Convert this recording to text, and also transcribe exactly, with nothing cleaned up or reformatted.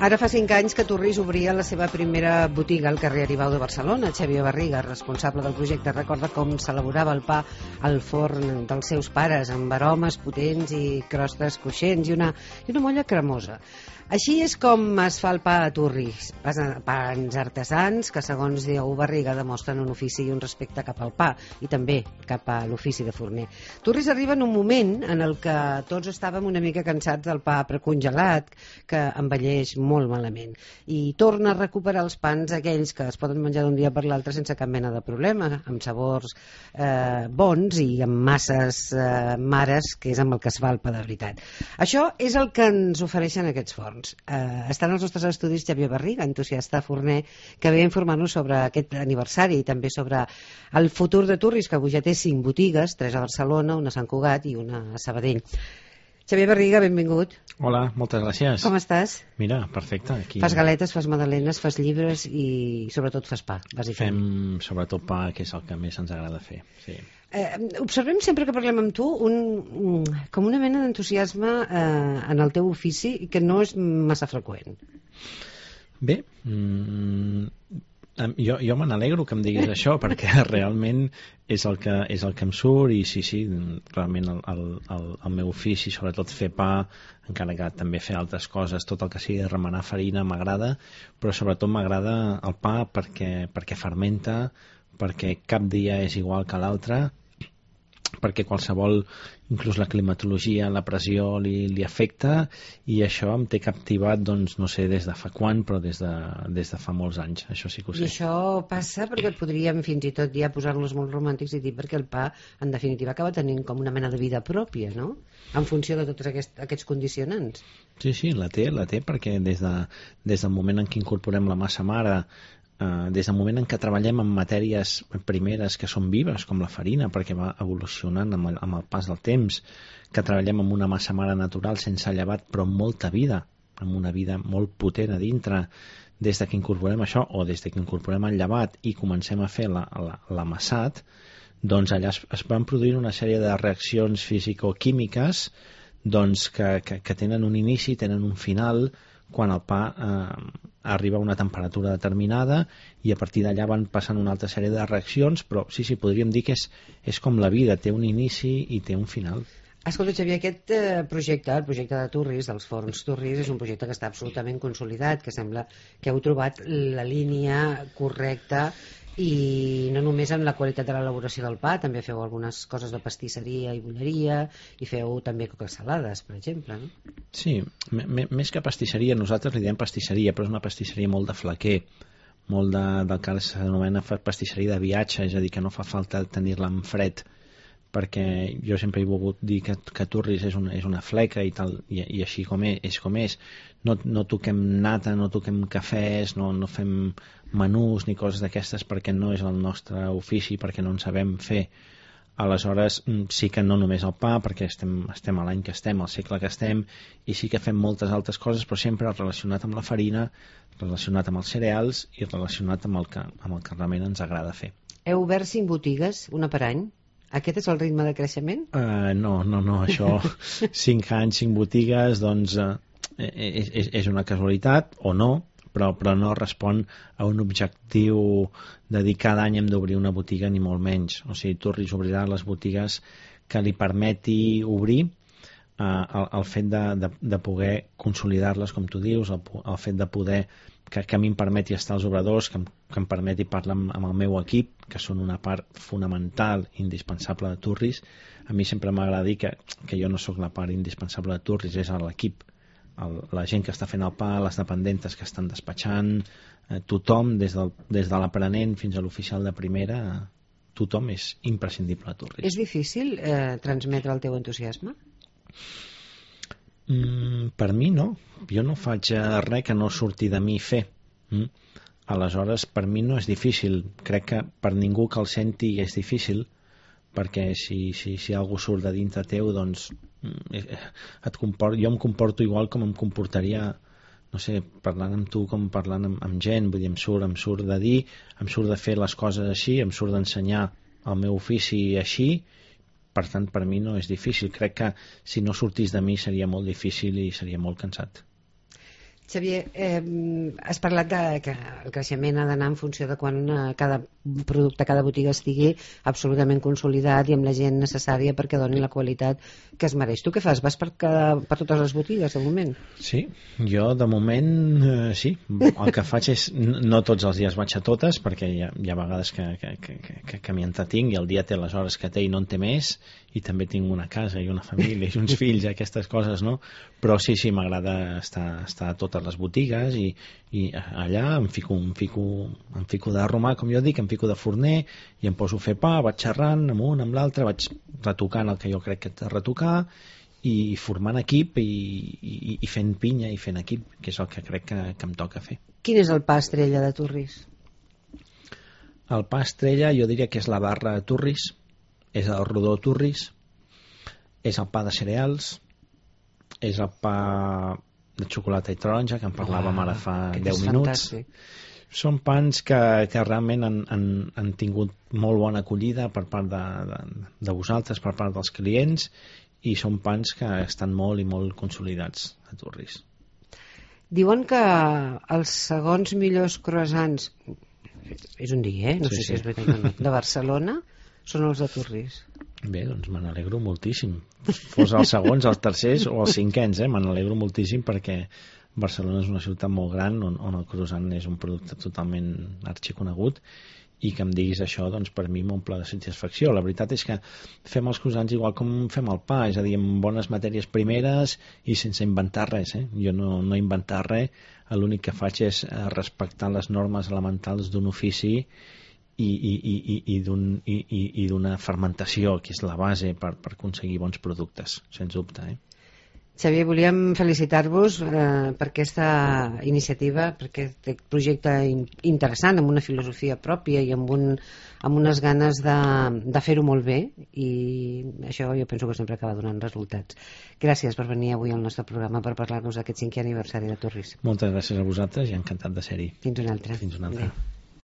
Ara fa cinc anys que Turris obria la seva primera botiga al carrer Aribau de Barcelona. Xavier Barriga, responsable del projecte, recorda com s'elaborava el pa al forn dels seus pares, amb aromes potents i crostes cruixents i una, i una molla cremosa. Així és com es fa el pa a Turris, pans artesans que, segons diu Barriga, demostren un ofici i un respecte cap al pa i també cap a l'ofici de forner. Turris arriba en un moment en el que tots estàvem una mica cansats del pa precongelat, que envelleix molt malament, i torna a recuperar els pans aquells que es poden menjar d'un dia per l'altre sense cap mena de problema, amb sabors eh, bons i amb masses eh, mares, que és amb el que es fa el pa de veritat. Això és el que ens ofereixen aquests forns. Uh, estan als nostres estudis Xavier Barriga, entusiasta forner, que ve a informar-nos sobre aquest aniversari i també sobre el futur de Turris, que avui ja té cinc botigues, tres a Barcelona, una a Sant Cugat i una a Sabadell. Xavier Barriga, benvingut. Hola, moltes gràcies. Com estàs? Mira, perfecte. Aquí... Fas galetes, fas magdalenes, fas llibres i sobretot fas pa, bàsicament. Fem sobretot pa, que és el que més ens agrada fer, sí. Eh, observem sempre que parlem amb tu un, com una mena d'entusiasme eh, en el teu ofici que no és massa freqüent. Bé, mm, jo, jo me n'alegro que em diguis això, perquè realment és el que, és el que em surt i sí, sí, realment el, el, el, el meu ofici, sobretot fer pa, encara que també fer altres coses, tot el que sigui remenar farina m'agrada, però sobretot m'agrada el pa perquè, perquè fermenta, perquè cap dia és igual que l'altre, perquè qualsevol, inclús la climatologia, la pressió li, li afecta, i això em té captivat, doncs no sé des de fa quan, però des de, des de fa molts anys, això sí que ho sé. I això passa perquè et podríem fins i tot ja posar-nos molt romàntics i dir perquè el pa en definitiva acaba tenint com una mena de vida pròpia, no? En funció de tots aquests, aquests condicionants. Sí, sí, la té, la té, perquè des, de, des del moment en què incorporem la massa mare, Uh, des del moment en què treballem amb matèries primeres que són vives, com la farina, perquè va evolucionant amb el, amb el pas del temps, que treballem amb una massa mare natural sense llevat, però amb molta vida, amb una vida molt potent a dintre, des de que incorporem això, o des de que incorporem el llevat i comencem a fer l'amassat, doncs allà es, es van produir una sèrie de reaccions fisicoquímiques doncs que, que, que tenen un inici, tenen un final, quan el pa eh, arriba a una temperatura determinada, i a partir d'allà van passant una altra sèrie de reaccions, però sí, sí, podríem dir que és, és com la vida, té un inici i té un final. Escolta, Xavier, aquest eh, projecte, el projecte de Turris, dels forns Turris, és un projecte que està absolutament consolidat, que sembla que heu trobat la línia correcta, i no només en la qualitat de l'elaboració del pa, també feu algunes coses de pastisseria i bolleria, i feu també coques salades, per exemple, no? Sí, més que pastisseria, nosaltres li diem pastisseria, però és una pastisseria molt de flaquer, molt de, del que s'anomena pastisseria de viatge, és a dir, que no fa falta tenir-la en fred, perquè jo sempre he volgut dir que, que Turris és una, és una fleca i tal, i, i així com és, és com és. No, no toquem nata, no toquem cafès, no, no fem menús ni coses d'aquestes, perquè no és el nostre ofici, perquè no en sabem fer. Aleshores sí que no només el pa, perquè estem, estem a l'any que estem, al segle que estem, i sí que fem moltes altres coses, però sempre relacionat amb la farina, relacionat amb els cereals i relacionat amb el que, amb el que realment ens agrada fer. Heu obert cinc botigues, una per any? Aquest és el ritme de creixement? Uh, no, no, no, això cinc anys, cinc botigues, doncs uh, és, és, és una casualitat o no, però, però no respon a un objectiu de dir cada any hem d'obrir una botiga ni molt menys. O sigui, Turris obrirà les botigues que li permeti obrir, uh, el, el fet de, de, de poder consolidar-les, com tu dius, el, el fet de poder que, que a mi em permeti estar als obradors, que em, que em permeti parlar amb, amb el meu equip, que són una part fonamental, indispensable de Turris. A mi sempre m'agrada dir que, que jo no sóc la part indispensable de Turris, és l'equip, el, la gent que està fent el pa, les dependentes que estan despatxant, eh, tothom, des, del, des de l'aprenent fins a l'oficial de primera, eh, tothom és imprescindible a Turris. És difícil eh, transmetre el teu entusiasme? Mm, per mi no, jo no faig res que no surti de mi fer. Mm? Aleshores per mi no és difícil, crec que per ningú que el senti és difícil, perquè si, si, si algú surt de dintre teu, doncs et comport, jo em comporto igual com em comportaria, no sé, parlant amb tu com parlant amb, amb gent, vull dir, em surt, em surt de dir, em surt de fer les coses així, em surt d'ensenyar el meu ofici així. Per tant, per mi no és difícil. Crec que si no sortís de mi seria molt difícil i seria molt cansat. Xavier, eh, has parlat de que el creixement ha d'anar en funció de quan eh, cada producte, cada botiga estigui absolutament consolidat i amb la gent necessària perquè doni la qualitat que es mereix. Tu què fas? Vas per, cada, per totes les botigues de moment? Sí, jo de moment eh, sí. El que faig és, no tots els dies vaig a totes perquè hi ha, hi ha vegades que, que, que, que, que m'hi entretinc i el dia té les hores que té i no en té més, i també tinc una casa i una família i uns fills, aquestes coses, no? Però sí, sí, m'agrada estar, estar a totes les botigues i, i allà em fico, em, fico, em fico de romà, com jo dic, em fico de forner i em poso a fer pa, vaig xerrant amb un, amb l'altre, vaig retocant el que jo crec que he de retocar i formant equip i, i, i fent pinya i fent equip, que és el que crec que, que em toca fer. Quin és el pa estrella de Turris? El pa estrella jo diria que és la barra Turris, és el rodó Turris, és el pa de cereals, és el pa de xocolata i taronja, que en parlàvem ara fa deu minuts. Fantàstic. Són pans que, que realment han, han, han tingut molt bona acollida per part de, de, de vosaltres, per part dels clients, i són pans que estan molt i molt consolidats a Turris. Diuen que els segons millors croissants, és un dia, eh? no Sí, sé sí. si és veritat o no, de Barcelona són els de Turris. Bé, doncs me n'alegro moltíssim. Fos els segons, els tercers o els cinquens, eh? Me n'alegro moltíssim perquè Barcelona és una ciutat molt gran on, on el croissant és un producte totalment arxiconegut, i que em diguis això, doncs per mi m'omple de satisfacció. La veritat és que fem els croissants igual com fem el pa, és a dir, amb bones matèries primeres i sense inventar res, eh? Jo no, no he inventat res, l'únic que faig és respectar les normes elementals d'un ofici i, i, i, i, d'un, i, i, i d'una fermentació, que és la base per, per aconseguir bons productes, sens dubte. Eh? Xavier, volíem felicitar-vos eh, per aquesta iniciativa, per aquest projecte in interessant, amb una filosofia pròpia i amb, un, amb unes ganes de, de fer-ho molt bé, i això jo penso que sempre acaba donant resultats. Gràcies per venir avui al nostre programa per parlar-nos d'aquest cinquè aniversari de Turris. Moltes gràcies a vosaltres i encantat de ser-hi. Fins una altra. Fins una altra. Adéu.